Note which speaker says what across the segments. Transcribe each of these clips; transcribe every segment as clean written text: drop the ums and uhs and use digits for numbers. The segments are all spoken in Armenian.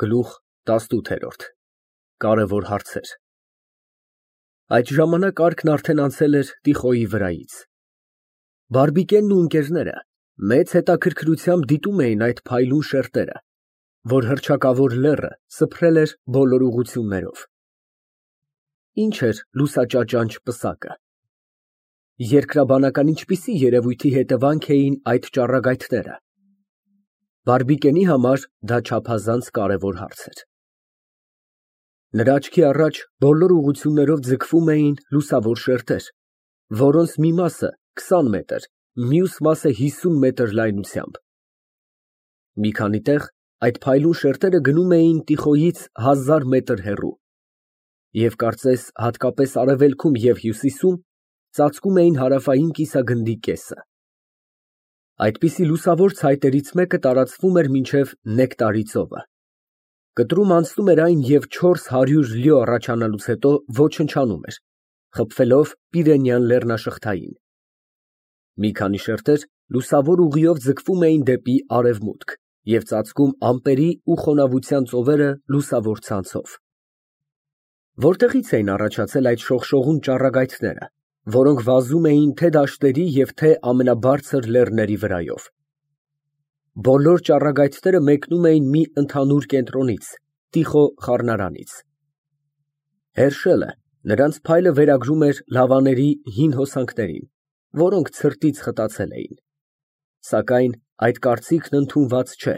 Speaker 1: Գլուխ 18 Կարևոր հարցեր Այդ ժամանակ Արկն արդեն անցել էր Տիխոյի վրայից։ Բարբիկենն ու ընկերները մեծ հետաքրքրությամբ դիտում էին այդ փայլուն շերտերը, որ հռչակավոր լեռը սփռել էր բոլոր ուղղություններով։ Ինչ էր լուսաճաճանճ պսակը։ Երկրաբանական ինչպիսի երևույթի հետևանք էին այդ ճառագայթները։ Բարբիկենի համար դա չափազանց կարևոր հարց էր։ Նրա աչքի առաջ բոլոր ուղղություններով ձգվում էին լուսավոր շերտեր, որոնց մի մասը 20 մետր, մյուս մասը 50 մետր լայնությամբ։ Մի քանի տեղ այդ փայլուն շերտերը գնում էին Տիխոյից 1000 մետր հեռու և կարծես հատկապես արևելքում և հյուսիսում ծածկում էին հարավային կիսագնդի կեսը։ Այդպիսի լուսավոր ցայտերից մեկը տարածվում էր մինչև Նեկտարի ծովը։ Կտրում անցնում էր այն և 400 լյո առաջանալուց հետո ոչնչանում էր, խփվելով Պիրենյան լեռնաշղթային։ Մի քանի շերտեր լուսավոր ուղիով ձգվում էին դեպի արևմուտք և ծածկում ամպերի ու խոնավության ծովերը լուսավոր ցանցով։ Որտեղի՞ց էին առաջացել այդ շողշողուն ճառագայթները, որոնք վազում էին թե դաշտերի և թե ամենաբարձր լեռների վրայով։ Բոլոր ճառագայթները մեկնում էին մի ընդհանուր կենտրոնից՝ Տիխո խառնարանից։ Հերշելը նրանց փայլը վերագրում էր լավաների հին հոսանքներին, որոնք ցրտից խտացել էին։ Սակայն այդ կարծիքն ընդունված չէ։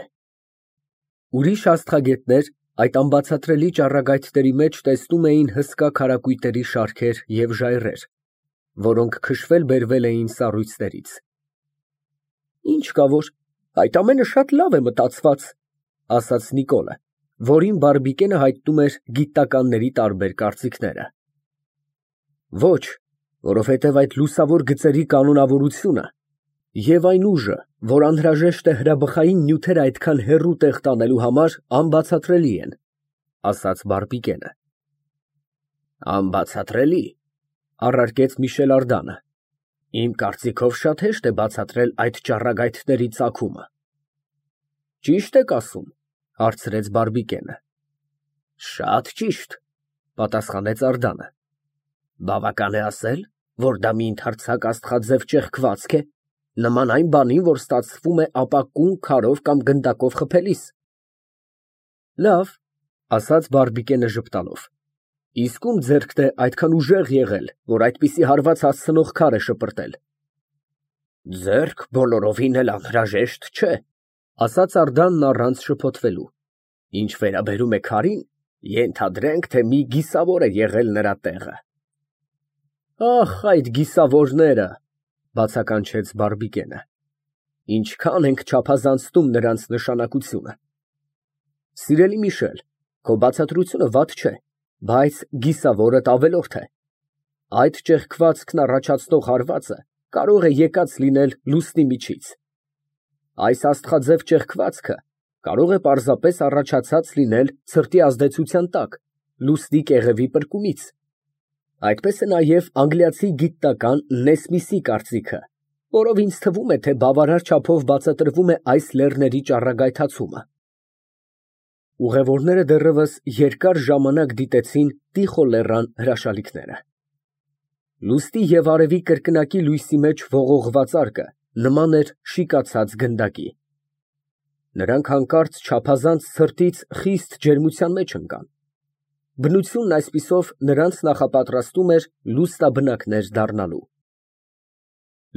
Speaker 1: Ուրիշ աստղագետներ այդ անբացատրելի ճառագայթների մեջ տեսնում էին հսկա քարակույտերի շարքեր և ժայռեր, որոնք քշվել֊բերվել էին սառույցներից։ Ինչ կա որ, այդ ամենը շատ լավ է մտածված, ասաց Նիկոլը, որին Բարբիկենը հայտնում էր գիտնականների տարբեր կարծիքները։ Ոչ, որովհետև այդ լուսավոր գծերի կանոնավորությունը և այն ուժը, որ անհրաժեշտ է հրաբխային նյութերը այդքան հեռու տեղ տանելու համար, անբացատրելի են, ասաց Բարբիկենը։ Անբացատրելի, առարկեց Միշել Ардանը, իմ կարծիքով շատ հեշտ է բացատրել այդ ճառագայթների ծագումը։ Ճիշտ եք ասում, հարցրեց Բարբիկենը։ Շատ ճիշտ, պատասխանեց Ардանը։ Բավական է ասել, որ դա մի ընդարձակ աստղաձև ճեղքվածք է, նման այն բանին, որ ստացվում է ապակուն քարով կամ գնդակով խփելիս։ Լավ, ասաց Բարբիկենը ժպտալով, իսկ ում ձեռքն է այդքան ուժեղ եղել, որ այդպիսի հարված հասցնող քար է շպրտել։ Ձեռք բոլորովին էլ անհրաժեշտ չէ, ասաց Ардանն առանց շփոթվելու։ Ինչ վերաբերում է քարին, ենթադրենք, թե մի գիսավոր է եղել նրա տեղը։ Ախ, այդ գիսավորները, բացականչեց Բարբիկենը։ Ինչքան ենք չափազանցնում նրանց նշանակությունը։ Սիրելի Միշել, քո բացատրությունը վատ չէ, բայց գիսավորդ ավելորդ է։ Այդ ճեղքվածքն առաջացնող հարվածը կարող է եկած լինել լուսնի միջից։ Այս աստղաձև ճեղքվածքը կարող է պարզապես առաջացած լինել ցրտի ազդեցության տակ, լուսնի կեղևի պրկումից։ Այդպես է նաև անգլիացի գիտնական Նեսմիսի կարծիքը, որով ինձ թվում է, թե բավարար չափով բացատրվում է այս լեռների ճառագայթացումը։ Ուղևորները դեռևս երկար ժամանակ դիտեցին Տիխո լեռան հրաշալիքները։ Լուսնի և արևի կրկնակի լույսի մեջ ողողված արկը նման էր շիկացած գնդակի։ Նրանք հանկարծ չափազանց ցրտից խիստ ջերմության մեջ ընկան։ Բնությունն այսպիսով նրանց նախապատրաստում էր լուսնաբնակներ դառնալու։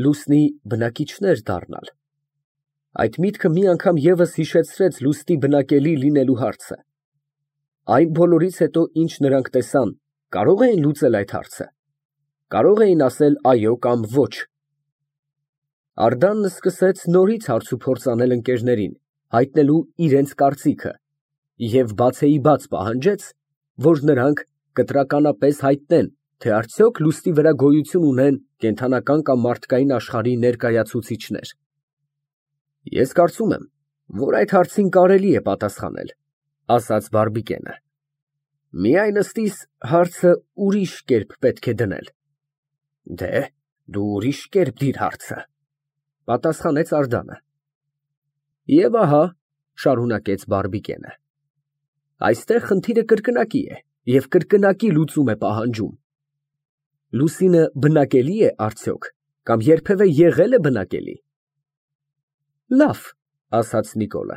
Speaker 1: Լուսնի բնակիչներ դառնալ։ Այդ միտքը մի անգամ ևս հիշեցրեց լուսնի բնակելի լինելու հարցը։ Այն բոլորից հետո, ինչ նրանք տեսան, կարո՞ղ էին լուծել այդ հարցը։ Կարող էին ասել այո կամ ոչ։ Ардանն սկսեց նորից հարցուփորձ անել ընկերներին, հայտնելու իրենց կարծիքը, և բացեիբաց պահանջեց, որ նրանք կտրականապես հայտնեն, թե արդյոք լուսնի վրա գոյություն ունեն կենդանական կամ մարդկային աշխարհի ներկայացուցիչներ։ Ես կարծում եմ, որ այդ հարցին կարելի է պատասխանել, ասաց Բարբիկենը։ Միայն ըստիս հարցը ուրիշ կերպ պետք է դնել։ Դե, դու ուրիշ կերպ դիր հարցը, պատասխանեց Ардանը։ Եվ ահա, շարունակեց Բարբիկենը, Այստեղ խնդիրը կրկնակի է և կրկնակի լուծում է պահանջում։ Լուսինը բնակելի է արդյոք, կամ երբևէ եղել է բնակելի։ Լավ, ասաց Նիկոլը,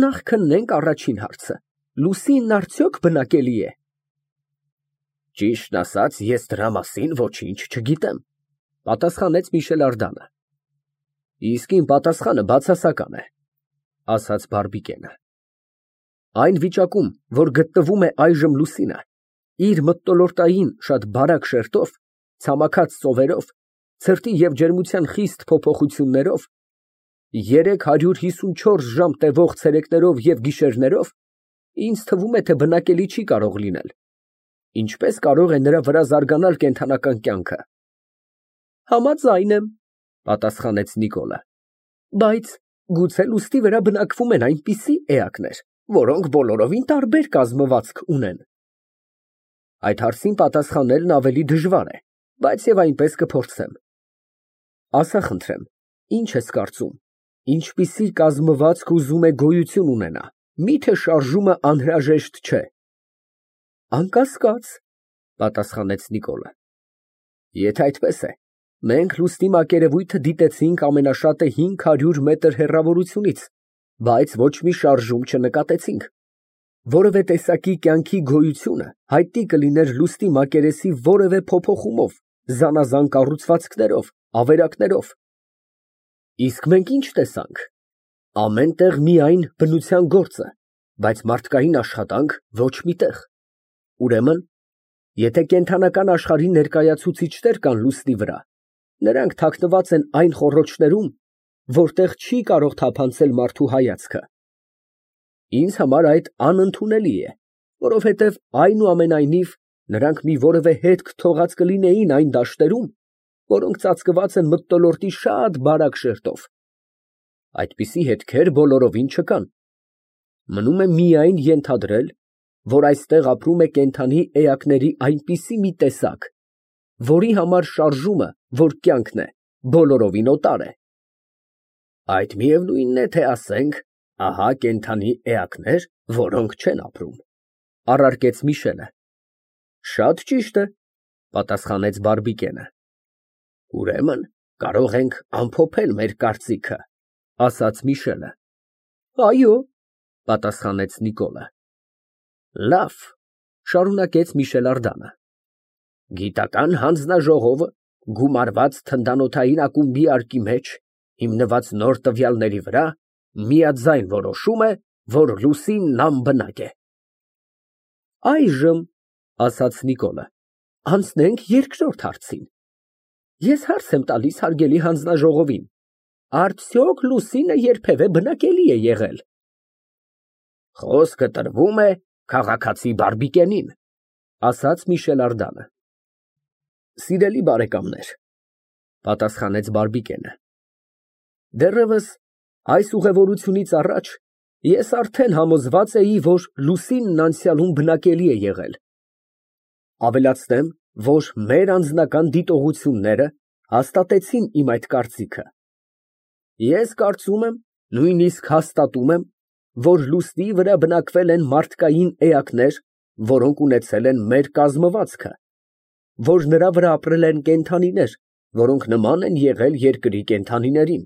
Speaker 1: նախ քննենք առաջին հարցը. Լուսինն արդյոք բնակելի է։ Ճիշտն ասած, ես դրա մասին ոչինչ չգիտեմ, պատասխանեց Միշել Ардանը։ Իսկ իմ պատասխանը բացասական է, ասաց Բարբիկենը։ Այն վիճակում, որ գտնվում է այժմ Լուսինը, իր մթնոլորտային շատ բարակ շերտով, ցամաքած ծովերով, ցրտի և ջերմության խիստ փոփոխություններով, 354 ժամ տևող ցերեկներով և գիշերներով, ինձ թվում է, թե բնակելի չի կարող լինել։ Ինչպես կարող է նրա վրա զարգանալ կենդանական կյանքը։ Համաձայն եմ, պատասխանեց Նիկոլը, բայց գուցե լուսնի վրա բնակվում են այնպիսի էակներ, որոնք բոլորովին տարբեր կազմվածք ունեն։ Այդ հարցին պատասխանելն ավելի դժվար է, բայց և այնպես կփորձեմ։ Ասա խնդրեմ, ինչ ես կարծում, ինչպիսի կազմվածք ուզում է գոյություն ունենա, միթե շարժումը անհրաժեշտ չէ։ Անկասկած, պատասխանեց Նիկոլը։ Եթե այդպես է, մենք լուսնի մակերևույթը դիտեցինք ամենաշատը 500 մետր հեռավորությունից, բայց ոչ մի շարժում չնկատեցինք։ Որևէ տեսակի կյանքի գոյությունը հայտնի կլիներ լուսնի մակերեսի որևէ փոփոխումով, զանազան կառուցվածքներով, ավերակներով։ Իսկ մենք ինչ տեսանք։ Ամեն տեղ միայն բնության գործը, բայց մարդկային աշխատանք ոչ մի տեղ։ Ուրեմն, եթե կենդանական աշխարհի ներկայացուցիչներ կան լուսնի վրա, նրանք թաքնված են այն խոռոչներում, որտեղ չի կարող թափանցել մարդու հայացքը։ Ինձ համար այդ անընդունելի է, որովհետև այնուամենայնիվ նրանք մի որևէ հետք թողած կլինեին այն դաշտերում, որոնք ծածկված են մթնոլորտի շատ բարակ շերտով։ Այդպիսի հետքեր բոլորովին չկան։ Մնում է միայն ենթադրել, որ այստեղ ապրում է կենդանի էակների այնպիսի մի տեսակ, որի համար շարժումը, որ կյանքն է, բոլորովին օտար է։ Այդ միևնույնն է, թե ասենք, ահա կենդանի էակներ, որոնք չեն ապրում, առարկեց Միշելը։ Շատ ճիշտ է, պատասխանեց Բարբիկենը։ Ուրեմն կարող ենք ամփոփել մեր կարծիքը, ասաց Միշելը։ Այո, պատասխանեց Նիկոլը։ Լավ, շարունակեց Միշել Ардանը։ Գիտական հանձնաժողովը գումարված թնդանոթային ակումբի արկի մեջ, հիմնված նոր տվյալների վրա, միաձայն որոշում է, որ լուսինն անբնակ է։ Այժմ, ասաց Նիկոլը, անցնենք երկրորդ հարցին։ Ես հարց եմ տալիս հարգելի հանձնաժողովին. արդյոք լուսինը երբևէ բնակելի է եղել։ Խոսքը տրվում է քաղաքացի Բարբիկենին, ասաց Միշել Ардանը։ Սիրելի բարեկամներ, պատասխանեց Բարբիկենը, դեռևս այս ուղևորությունից առաջ ես արդեն համոզված էի, որ լուսինն անցյալում բնակելի է եղել։ Ավելացնեմ, որ մեր անձնական դիտողությունները հաստատեցին իմ այդ կարծիքը։ Ես կարծում եմ, նույնիսկ հաստատում եմ, որ լուսնի վրա բնակվել են մարդկային էակներ, որոնք ունեցել են մեր կազմվածքը, որ նրա վրա ապրել են կենդանիներ, որոնք նման են եղել երկրի կենդանիներին։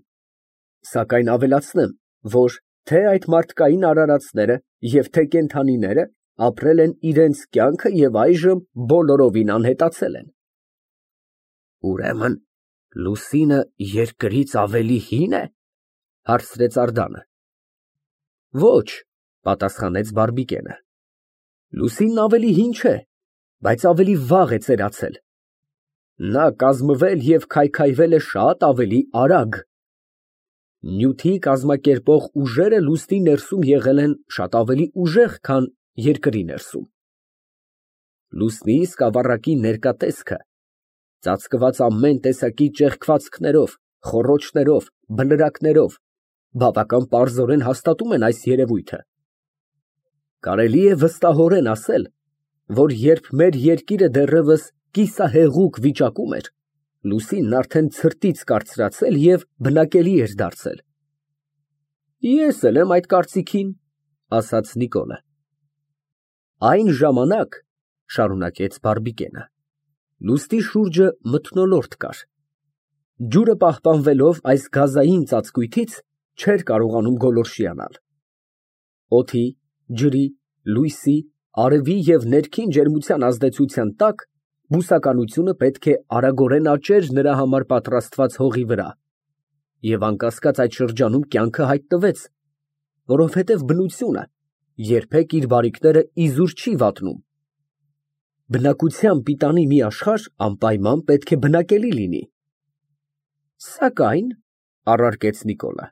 Speaker 1: Սակայն ավելացնեմ, որ թե այդ մարդկային արարածները և թե կենդանիները ապրել են իրենց կյանքը և այժմ բոլորովին անհետացել են։ Ուրեմն լուսինը երկրից ավելի հի՞ն է, հարցրեց Ардանը։ Ոչ, պատասխանեց Բարբիկենը։ Լուսինն ավելի հին չէ, բայց ավելի վաղ է ծերացել։ Նա կազմվել և քայքայվել է շատ ավելի արագ։ Նյութի կազմակերպող ուժերը լուսնի ներսում եղել են շատ ավելի ուժեղ, քան երկրի ներսում։ Լուսնի սկավառակի ներկա տեսքը, ծածկված ամեն տեսակի ճեղքվածքներով, խոռոչներով, բլրակներով, բավական պարզորեն հաստատում են այս երևույթը։ Կարելի է վստահորեն ասել, որ երբ մեր երկիրը դեռևս կիսահեղուկ վիճակում էր, լուսինն արդեն ցրտից կարծրացել և բնակելի էր դարձել։ Ես էլ եմ այդ կարծիքին, ասաց Նիկոլը։ Այն ժամանակ, շարունակեց Բարբիկենը, լուստի շուրջը մթնոլորտ կար։ Ջուրը պահպանվելով այս գազային ծածկույթից չէր կարողանում գոլորշիանալ։ Օդի, ջրի, լույսի, արևի և ներքին ջերմության ազդեցության տակ բուսականությունը պետք է արագորեն աճեր նրա համար պատրաստված հողի վրա, և անկասկած այդ շրջանում կյանքը հայտնվեց, որովհետև բնությունը երբեք իր բարիքները իզուր չի վատնում։ Բնակության պիտանի մի աշխարհ անպայման պետք է բնակելի լինի։ Սակայն, առարկեց Նիկոլը,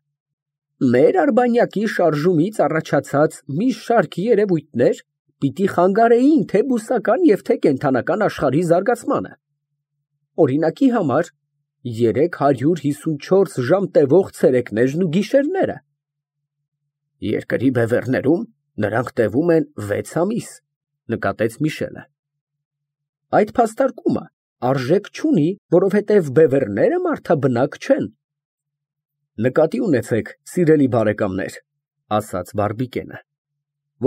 Speaker 1: մեր արբանյակի շարժումից առաջացած մի շարք երևույթներ պիտի խանգարեին թե բուսական և թե կենդանական աշխարհի զարգացմանը։ Օրինակի համար 354 ժամ տևող ցերեկներն ու գիշերները։ Երկրի բևեռներում նրանք տևում են 6 ամիս, նկատեց Միշելը։ Այդ փաստարկումը արժեք չունի, որովհետև բևեռները մարդաբնակ չեն։ Նկատի ունեցեք, սիրելի բարեկամներ, ասաց Բարբիկենը,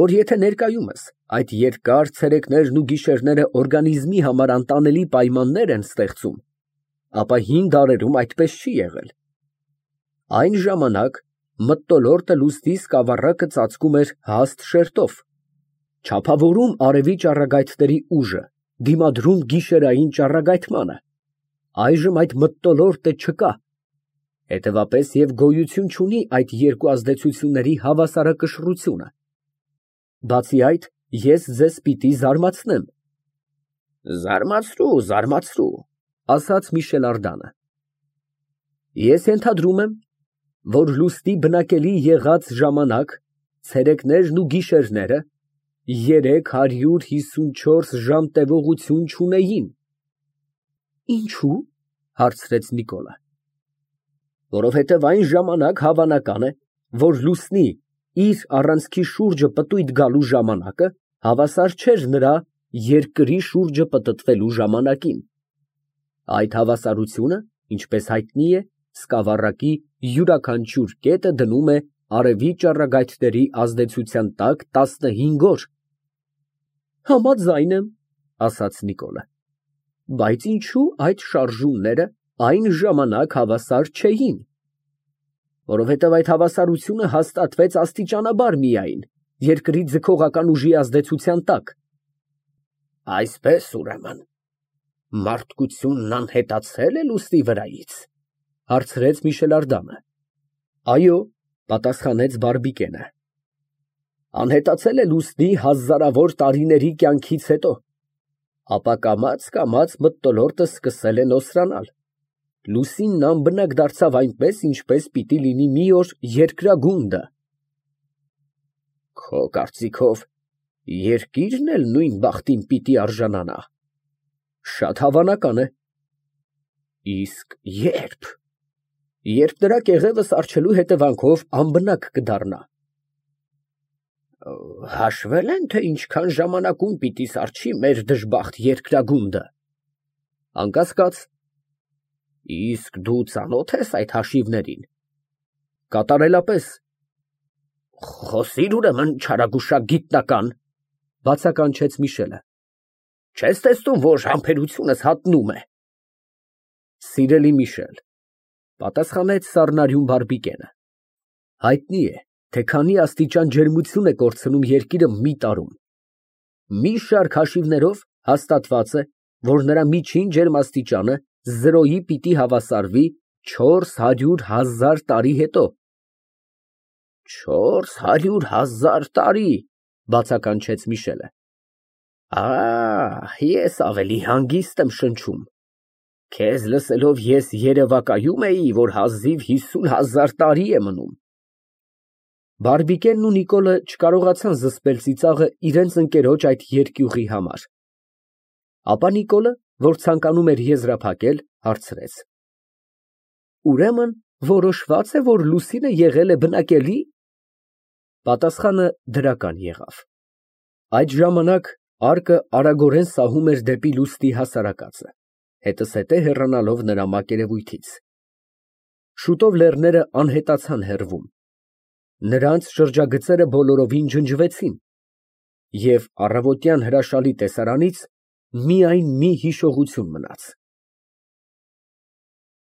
Speaker 1: որ եթե ներկայումս այդ երկար ցերեկներն ու գիշերները օրգանիզմի համար անտանելի պայմաններ են ստեղծում, ապա հին դարերում այդպես չի եղել։ Այն ժամանակ մթնոլորտը լուսնի սկավառակը ծածկում էր հաստ շերտով, չափավորում արևի ճառագայթների ուժը, դիմադրում գիշերային ճառագայթմանը։ Այժմ այդ մթնոլորտը չկա, հետևապես և գոյություն չունի այդ երկու ազդեցությունների հավասարակշռությունը։ Բացի այդ, ես ձեզ պիտի զարմացնեմ։ Զարմացրու, զարմացրու, ասաց Միշել Ардանը։ Ես ենթադրում եմ, որ լուսնի բնակելի եղած ժամանակ ցերեկներն ու գիշերները 354 ժամ տևողություն չունեին։ Ինչու՞, հարցրեց Նիկոլը։ Որովհետև այն ժամանակ հավանական է, որ լուսնի իր առանցքի շուրջը պտույտ գալու ժամանակը հավասար չէր նրա երկրի շուրջը պտտվելու ժամանակին։ Այդ հավասարությունը, ինչպես հայտնի է, սկավառակի յուրաքանչյուր կետը դնում է արևի ճառագայթների ազդեցության տակ 15 օր։ Համաձայն եմ, ասաց Նիկոլը, բայց ինչու այդ շարժումները այն ժամանակ հավասար չէին։ Որովհետև այդ հավասարությունը հաստատվեց աստիճանաբար միայն, երկրի ձգողական ուժի ազդեցության տակ։ Այսպես, ուրեմն, մարդկությունն անհետացել է լուսնի վրայից, հարցրեց Միշել Ардանը։ Այո, պատասխանեց Բարբիկենը։ Անհետացել է լուսնի հազարավոր տարիների կյանքից հետո, ապա կամաց մթնոլորտը սկսել է նոսրանալ։ Լուսինն անբնակ դարձավ այնպես, ինչպես պիտի լինի մի օր երկրագունդը։ Քո կարծիքով, երկիրն էլ նույն բախտին պիտի արժանանա։ Շատ հավանական է։ Իսկ ե՞րբ։ Երբ նրա կեղևը սառչելու հետևանքով անբնակ կդառնա։ Հաշվել են, թե ինչքան ժամանակում պիտի սառչի մեր դժբախտ երկրագունդը։ Անկասկած։ Իսկ դու ծանոթ ես այդ հաշիվներին։ Կատարելապես։ Խոսիր ուրեմն, չարագուշակ գիտնական, բացականչեց Միշելը։ Չես տեսնում, որ համբերությունս հատնում է։ Սիրելի Միշել, պատասխանեց սառնարյուն Բարբիկենը, հայտնի է, թե քանի աստիճան ջերմություն է կորցնում երկիրը մի տարում։ Մի շարք հաշիվներով հաստատված է, որ նրա միջին ջերմաստիճանը 0-ի պիտի հավասարվի 400,000 տարի հետո։ 400,000 տարի, բացականչեց Միշելը։ Ես ավելի հանգիստ եմ շնչում։ Քեզ լսելով ես երևակայում էի, որ հազիվ 50,000 տարի է մնում։ Բարբիկենն ու Նիկոլը չկարողացան զսպել ծիծաղը իրենց ընկերոջ այդ երկյուղի համար։ Ապա Նիկոլը, որ ցանկանում էր եզրափակել, հարցրեց. Ուրեմն որոշված է, որ լուսինը եղել է բնակելի։ Պատասխանը դրական եղավ։ Այդ ժամանակ արկը արագորեն սահում էր դեպի լուսնի հասարակածը, հետզհետե հեռանալով նրա մակերևույթից։ Շուտով լեռները անհետացան հեռվում։ Նրանց շրջագծերը բոլորովին ջնջվեցին։ Եվ առավոտյան հրաշալի տեսարանից միայն մի հիշողություն մնաց։